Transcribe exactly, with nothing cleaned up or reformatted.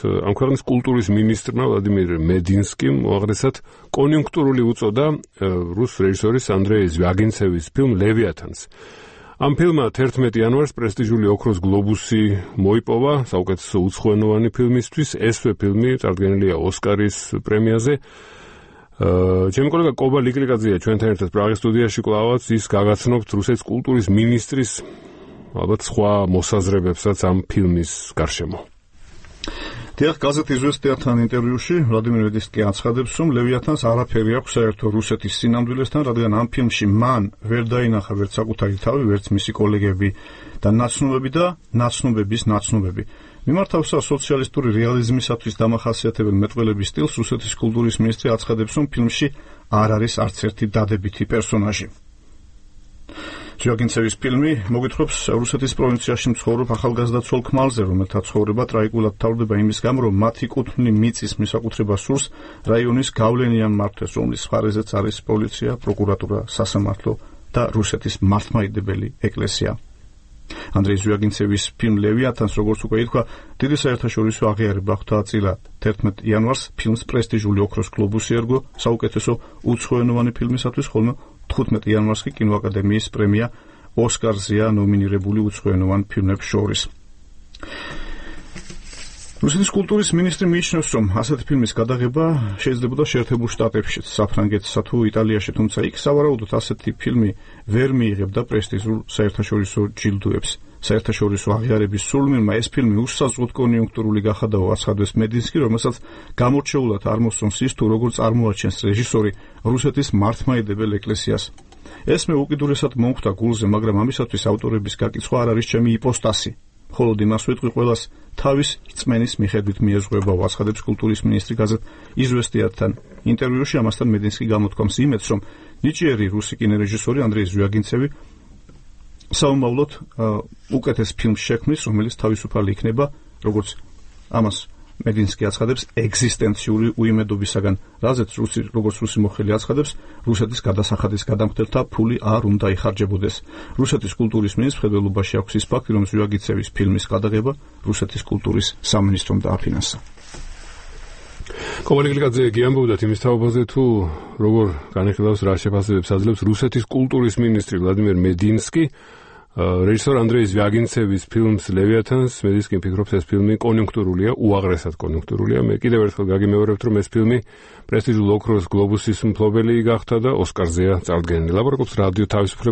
ამ ქვეყნის კულტურის მინისტრმა ვლადიმირ მედინსკიმ უაღრესად კონიუნქტურული უწოდა რუს რეჟისორის ანდრეი ზვიაგინცევის ფილმ ლევიათანს. ამ ფილმმა თერთმეტი იანვარს პრესტიჟული ოქროს გლობუსი მოიპოვა საუკეთესო უცხოენოვანი ფილმისთვის. ესვე ფილმი წარდგენილია ოსკარის პრემიაზე. ჩემი კოლეგა კობა ლიკლიკაძეა ჩვენთან ერთად პრაღის სტუდიაში კლავაც ის გაგაცნობთ რუსეთის კულტურის მინისტრის ალბათ სხვა მოსაზრებებსაც ამ ფილმის გარშემო. დიახ, გაზეთ იზვესტიათან ინტერვიუში ვლადიმირ მედინსკი აცხადებს, რომ ლევიათანს არაფერი აქვს საერთო რუსეთის სინამდვილესთან, რადგან ამ ფილმში მან ვერ დაინახა ვერც საკუთარი თავი, ვერც მისი კოლეგები და ნაცნობები და ნაცნობების ნაცნობები. მიმართავსა სოციალისტური რეალიზმისათვის დამახასიათებელ მეტყველების სტილს რუსეთის კულტურის მინისტრი აცხადებს, რომ ფილმში არ არის არც ერთი დადებითი პერსონაჟი. ზვიაგინცევის ფილმი მოგვითხრობს რუსეთის პროვინციაში მცხოვრებ ახალგაზრდა ცოლ ქმალზე, რომელთა ცხოვრება ტრაგიკულად თავდება იმის გამო, რომ მათი კუთვნილი მიწის მისაკუთრება სურს რაიონის გავლენიან მმართველს, რომლის მხარეზეც არის პოლიცია, პროკურატურა, სასამართლო და რუსეთის მართლმადიდებელი ეკლესია. ანდრეი ზვიაგინცევის ფილმ ლევიათანს, როგორც უკვე ითქვა, დიდი საერთაშორისო აღიარება ხვდა წილად. თერთმეტი იანვარს ფილმს პრესტიჟული ოქროს გლობუსი ერგო საუკეთესო უცხოენოვანი ფილმისათვის, ხოლმე თხუთმეტი იანვარს კი კინოაკადემიის პრემია ოსკარზეა ნომინირებული უცხოენოვან ფილმებს შორის. რუსეთის კულტურის მინისტრი მიიჩნევს, რომ ასეთი ფილმის გადაღება შეიძლებოდა შეერთებულ შტატებშიც, საფრანგეთსა თუ იტალიაში, თუმცა იქ სავარაუდოდ ასეთი ფილმი ვერ მიიღებდა პრესტიჟულ საერთაშორისო ჯილდოებს. საერთაშორისო აღიარების სრულმირმა ეს ფილმი უსაზღვროდ კონიუნქტურული გახადაო, აცხადებს მედინსკი, რომელსაც გამორჩეულად არ მოსწონს ის, თუ როგორ წარმოაჩენს რეჟისორი რუსეთის მართლმადიდებელ ეკლესიას. ესმე უკიდურესად მომხვდა გულზე, მაგრამ ამისათვის ავტორების გაკიცხვა არ არის ჩემი იპოსტასი. მხოლოდ იმას ვიტყვი, ყველას თავის რწმენის მიხედვით მიეზღუება, აცხადებს კულტურის მინისტრი გაზეთ იზვესტიათთან ინტერვიუში. ამასთან მედინსკი გამოთქვამს იმედს, რომ ნიჭიერი რუსი კინორეჟისორი ანდრეი ზვიაგინცევი საომავლოდ უკეთეს ფილმს შექმნის, რომელიც თავისუფალი იქნება, როგორც ამას მედინსკი აცხადებს, ეგზისტენციური უიმედობისაგან, რაზეც რუსი, როგორც რუსი მოხელი აცხადებს, რუსეთის გადასახადის გადამხდელთა ფული არ უნდა იხარჯებოდეს. რუსეთის კულტურის მინისტრს მხედველობაში აქვს ის ფაქტი, რომ ზვიაგინცევის ფილმის გადაღება რუსეთის კულტურის სამინისტრომ დააფინანსა. კობა ლიკლიკაძე გიამბობდათ იმის თაობაზე, თუ როგორ განიხილავს, რა შეფასებებს აძლევს რუსეთის კულტურის მინისტრი ვლადიმირ მედინსკი რეჟისორ ანდრეი ზვიაგინცევის ფილმს ლევიათანს. მედინსკი ფიქრობს, ეს ფილმი კონიუნქტურულია, უაღრესად კონიუნქტურულია. მე კიდევ ერთხელ გაგიმეორებთ, რომ ეს ფილმი პრესტიჟულ ოქროს გლობუსის მფლობელი გახდა და ოსკარზეა წარდგენილი. ლაპარაკობს რადიო თავისუფლება